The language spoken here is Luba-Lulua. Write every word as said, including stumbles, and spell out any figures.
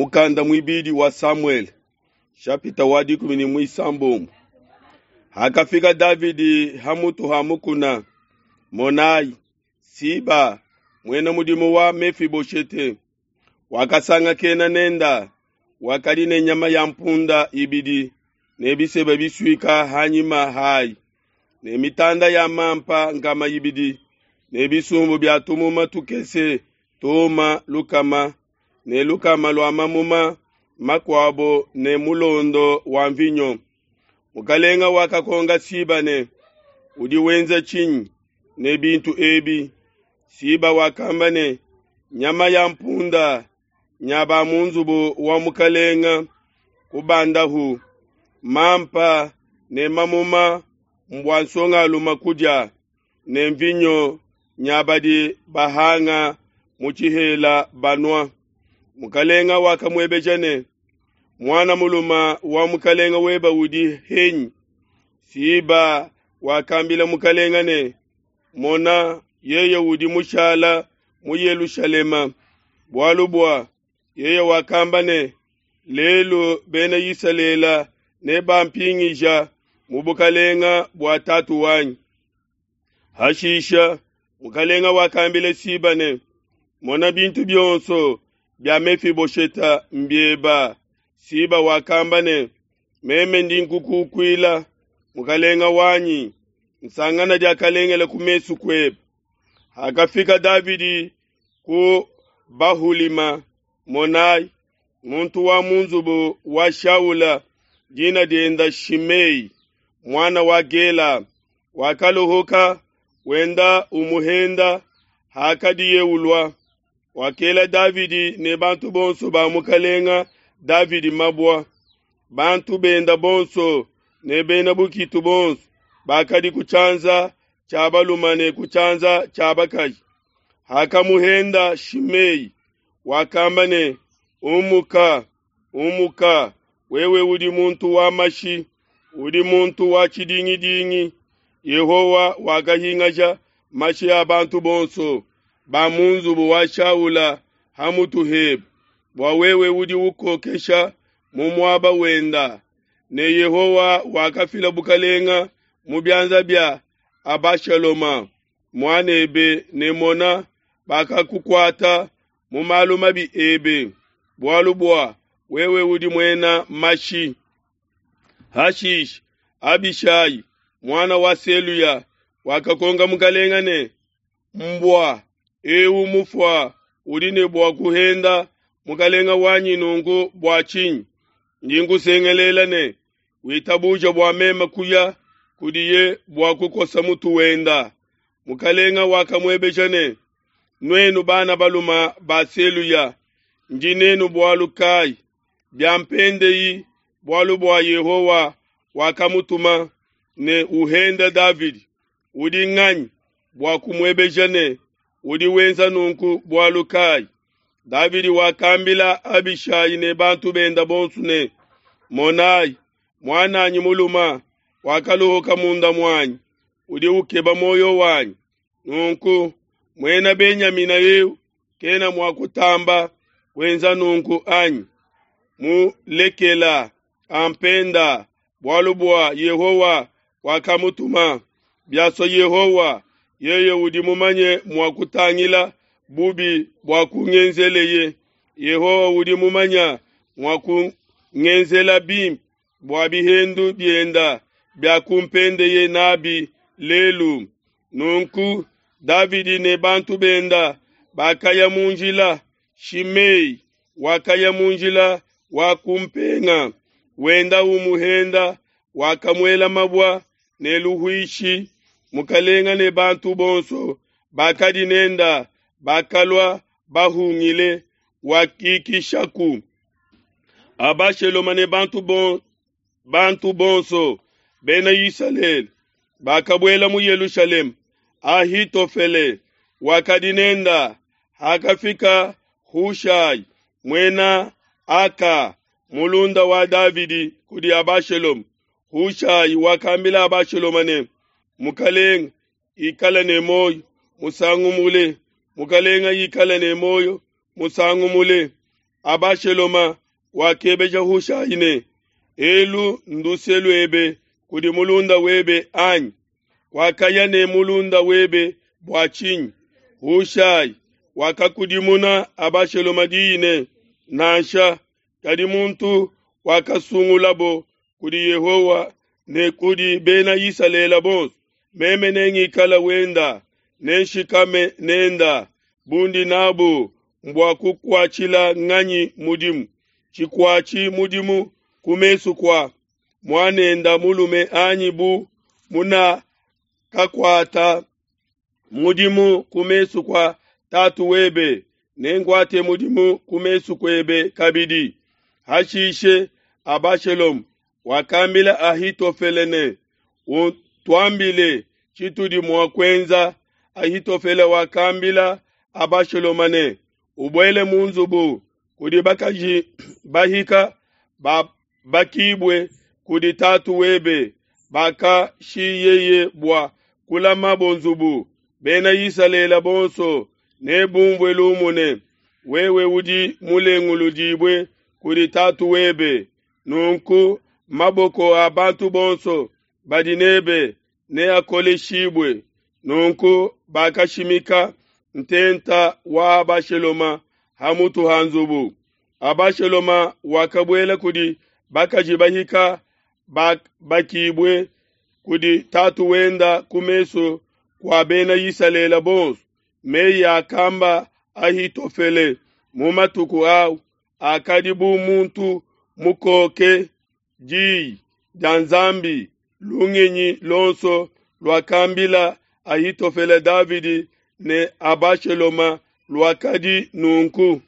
Mukanda muibidi wa Samuele shapita wa dikumi ne muisambombo. Hakafika Davidi ha mutu ha mukuna, monai, Siba, muena mudimu wa Mefiboshete, wakasangakena nenda, wakadi ne nyama ya mpunda ibidi ne biseba bisuika ha nyima hai, ne mitanda ya mampa nkama ibidi ne bisumbu bia tumuma tukese tuma lukama ne lukama lua mamuma makuabo ne mulondo wa mvinyo. Mukalenga wakakonga Siba ne, udi wenza tshinyi ne bintu ebi? Siba wakamba ne, nyama ya mpunda nya ba mu nzubu wa mukalenga kubandahu, mampa ne mamuma mbua nsongalume kudia, ne mvinyo nya badi bahanga mu tshihela banua. Mukalenga wakamuebeja ne, muana mulume wa mukalenga weba udi henyi? Siba wakambila mukalenga ne, mona, yeye udi mushala mu Yelushalema, bualu bua yeye wakamba ne, lelu bena Isalele nebampingija mu bukalenga bua tatu wanyi. Hashisha mukalenga wakambila Siba ne, mona bintu bionso bia Mefibosheta mbieba. Siba wakamba ne, meme ndi nkukukuila mukalenga wanyi, nsangana diakalengela ku mesu kuebe. Hakafika Davidi ku Bahulima, monai, muntu wa mu nzubu wa Shaula, dina dienda Shimei, muana wa Gela, wakalohoka wenda umuhenda hakadiye ulua. Wakela Davidi ne bantu bonso ba mukalenga Davidi mabua, bantu benda bonso ne bena bukitu bonso bakadi ku tshianza tshia balume ne ku tshianza tshia bakaji. Hakamuhenda Shimei, wakamba ne, umuka, umuka, wewe udi muntu wa mashi, udi muntu wa tshidingidingi. Yehowa wakahingaja mashi a bantu bonso ba mu nzubu wa Shaula ha mutu hebe, bua wewe udi ukokesha mu muaba wenda. Ne Yehowa wakafila bukalenga mu bianza bia Abashaloma muanebe, ne mona, bakakukuata mu malu mabi ebe, bualu bua wewe udi muena mashi. Hashishe Abishai muana wa Seluya wakakonga mukalenga ne, mbua eu mufua udi ne bua kuhenda mukalenga wanyi nunku bua tshinyi? Ndi nkusengelela ne, witabuja bua meme kuya kudiye bua kukosa mutu wenda. Mukalenga wakamuebeja ne, nuenu bana baluma ba Seluya, ndi nenu bualu kai? Biampendeyi bualu bua Yehowa wakamutuma ne uhenda Davidi, udi nganyi bua kumuebeja ne, udi wenza nunku bualu kai? Davidi wakambila Abishai ne bantu benda bonso ne, monai, muananyi muluma wakalohoka munda muanyi, udi ukeba moyo wanyi. Nunku muena Benyamina eu kena mua kutamba kuenza nunku anyi? Mulekela ampenda, bualu bua Yehowa wakamutuma. Biasua Yehowa, yeye udi mumanye mua kutangila bubi bua kungenzeleye. Yehowa udi mumanya mua kungenzela bimpe bua bihendu bienda bia kumpendeye nabi lelu. Nunku Davidi ne bantu benda bakaya mu njila. Shimei wakaya mu njila wa kumpenga, wenda umuhenda, wakamuela mabua ne luhuishi. Mukalenga ne bantu bonso bakadi nenda bakalua bahungile, wakikishaku. Abashaloma ne bantu bon, bantu bonso bena Isalele bakabuela mu Yelushalema. Ahitofele wakadi nenda. Hakafika Hushai muena Aka mulunda wa Davidi kudi Abashaloma, Hushai wakambila Abashaloma ne, mukalenga ikala ne moyo musangu mule, mukalenga ikala ne moyo musangu mule. Abasheloma wakebeja Hushai ne, Elu nduse luebe kudi mulunda webe anyi? Wakaya ne mulunda webe bua tshinyi? Hushai wakakudimuna Abasheloma diyi ne, Nansha, kadi muntu wakasungulabo kudi Yehowa ne kudi Bena Isalele bonso, meme nengikale wenda, nenshikame nenda, bundi nabu mbua kukuatshila nganyi mudimu? Tshikuatshi mudimu ku mesu kua muanenda mulume anyi bu munakakuata mudimu ku mesu kua tatu webe, nenkuate mudimu ku mesu kuebe kabidi. Hashishe Abashaloma wakambila Ahitofele ne, Utuambile tshitudi mua kuenza. Ahitofele wakambila Abashaloma ne, Ubuele mu nzubu kudi bakaji bahika babakibue kudi tatu webe bakashiyeye bua kulamabo nzubu. Bena Isalele bonso nebumvue lumu ne, Wewe udi mulenguludibue kudi tatu webe. Nunku maboko a bantu bonso badi nebe neakoleshibue. Nunku bakashimika ntenta wa Abashaloma ha mutu ha nzubu. Abashaloma wakabuela kudi bakaji bahika bakibue kudi tatu wenda ku mesu kua Bena Isalele bonso. Meyi akamba Ahitofele mu matuku au akadi bu muntu mukoke diyi dia Nzambi. Lungenyi luonso luakambila Ahitofele Davidi ne Abashaloma luakadi nunku.